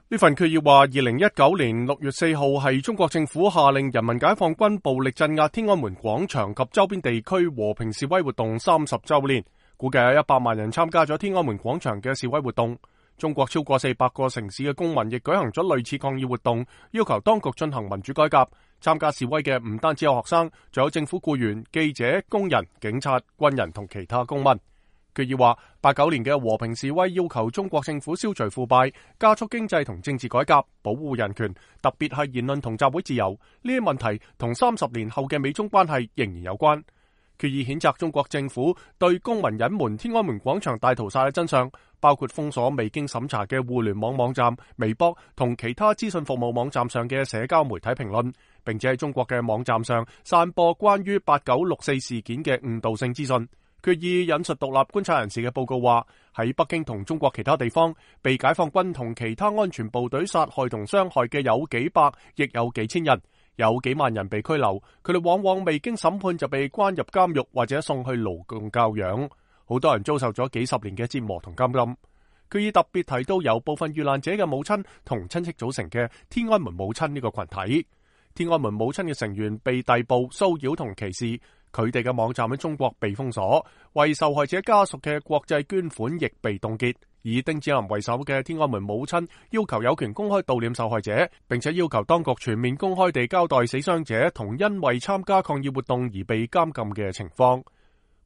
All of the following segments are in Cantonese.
呢份決議話，2019年6月4號係中國政府下令人民解放軍暴力鎮壓天安門廣場及周邊地區和平示威活動30週年，估計有100萬人參加咗天安門廣場嘅示威活動。中國超過400個城市嘅公民亦舉行咗類似抗議活動，要求當局進行民主改革。參加示威嘅唔單止有學生，仲有政府僱員、記者、工人、警察、軍人同其他公民。決議話，89年嘅和平示威要求中國政府消除腐敗，加速經濟同政治改革，保護人權，特別係言論同集會自由。呢啲問題同30年後嘅美中關係仍然有關。決議譴責中國政府對公民隱瞞天安門廣場大屠殺嘅真相，包括封鎖未經審查嘅互聯網網站、微博同其他資訊服務網站上嘅社交媒體評論，並且喺中國嘅網站上散播關於8964事件嘅誤導性資訊。決議引述獨立觀察人士嘅報告話，喺北京同中國其他地方被解放軍同其他安全部隊殺害同傷害嘅有幾百，亦有幾千人，有幾萬人被拘留，佢哋往往未經審判就被關入監獄或者送去勞動教養，好多人遭受咗幾十年嘅折磨同監禁。決議特別提到由部分遇難者嘅母親同親戚組成嘅天安門母親呢個群體。天安門母親嘅成員被逮捕、騷擾同歧視，佢哋嘅網站喺中國被封鎖，為受害者家屬嘅國際捐款亦被凍結。以丁子霖為首嘅天安門母親要求有權公開悼念受害者，並且要求當局全面公開地交代死傷者同因為參加抗議活動而被監禁嘅情況。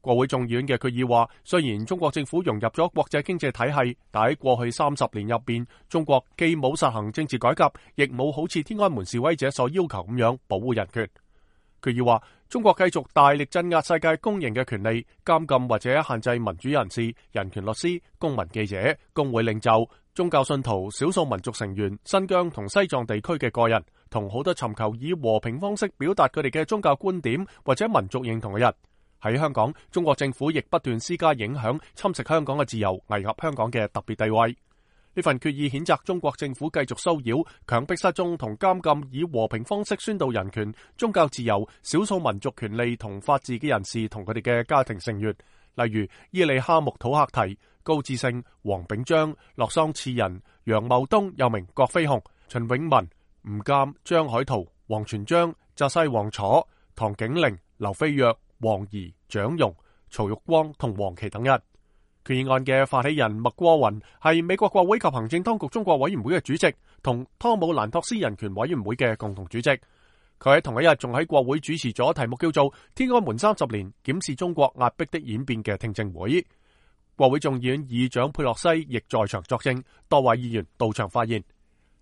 國會眾議院嘅決議話，雖然中國政府融入咗國際經濟體系，但喺過去30年入邊，中國既冇實行政治改革，亦冇好似天安門示威者所要求咁樣保護人權。決議話，中國繼續大力鎮壓世界公認嘅權利，監禁或者限制民主人士、人權律師、公民記者、工會領袖、宗教信徒、少數民族成員、新疆同西藏地區嘅個人，同好多尋求以和平方式表達佢哋嘅宗教觀點或者民族認同嘅人。喺香港，中國政府亦不斷施加影響，侵蝕香港嘅自由，危害香港嘅特別地位。呢份決議譴責中國政府繼續騷擾、強迫失蹤同監禁以和平方式宣導人權、宗教自由、少數民族權利同法治嘅人士同佢哋嘅家庭成員，例如伊利哈木土克提、高志勝、黃炳章、洛桑次仁、楊茂東又名郭飛雄、秦永文、吳鑑、張海圖、王全璋、澤西王楚、唐景齡、劉飛躍、王怡、蔣容、曹玉光同黃琦等人。決議案嘅發起人麥過雲係美國國會及行政當局中國委員會嘅主席，同湯姆蘭托斯人權委員會嘅共同主席。佢喺同一日仲喺國會主持咗題目叫做《天安門30年檢視中國壓迫的演變》嘅聽證會。國會眾議院議長佩洛西亦在場作證，多位議員到場發言。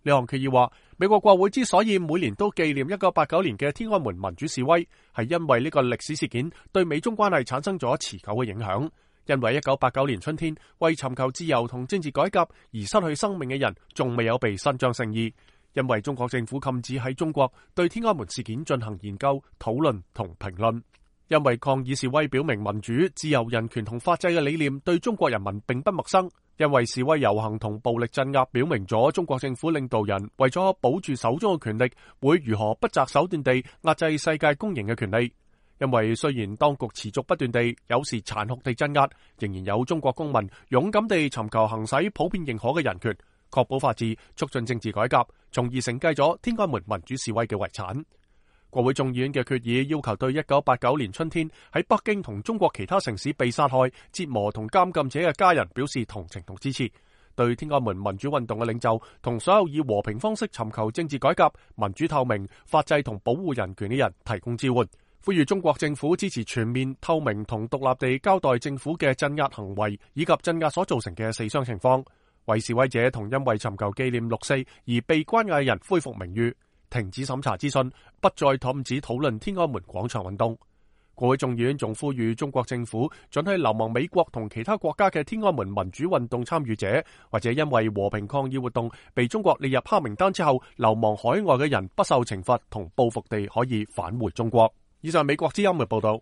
呢項決議話，美國國會之所以每年都紀念1989年嘅天安門民主示威，係因為呢個歷史事件對美中關係產生咗持久嘅影響。因為1989年春天為尋求自由同政治改革而失去生命嘅人仲未有被伸張正義，因為中國政府禁止喺中國對天安門事件進行研究、討論同評論，因為抗議示威表明民主、自由、人權同法治嘅理念對中國人民並不陌生，因為示威遊行同暴力鎮壓表明咗中國政府領導人為咗保住手中嘅權力，會如何不擇手段地壓制世界公認嘅權利。因為雖然當局持續不斷地，有時殘酷地鎮壓，仍然有中國公民勇敢地尋求行使普遍認可嘅人權，確保法治，促進政治改革，從而承繼咗天安門民主示威嘅遺產。國會眾議院嘅決議要求對1989年春天喺北京同中國其他城市被殺害、折磨同監禁者嘅家人表示同情同支持，對天安門民主運動嘅領袖同所有以和平方式尋求政治改革、民主透明、法制同保護人權嘅人提供支援。呼籲中國政府支持全面、透明同獨立地交代政府嘅鎮壓行為以及鎮壓所造成嘅死傷情況，為示威者同因為尋求紀念6·4而被關押嘅人恢復名譽，停止審查資訊，不再禁止討論天安門廣場運動。國會眾議院仲呼籲中國政府准許流亡美國同其他國家嘅天安門民主運動參與者，或者因為和平抗議活動被中國列入黑名單之後流亡海外嘅人不受懲罰同報復地可以返回中國。以上美國之音嘅報道。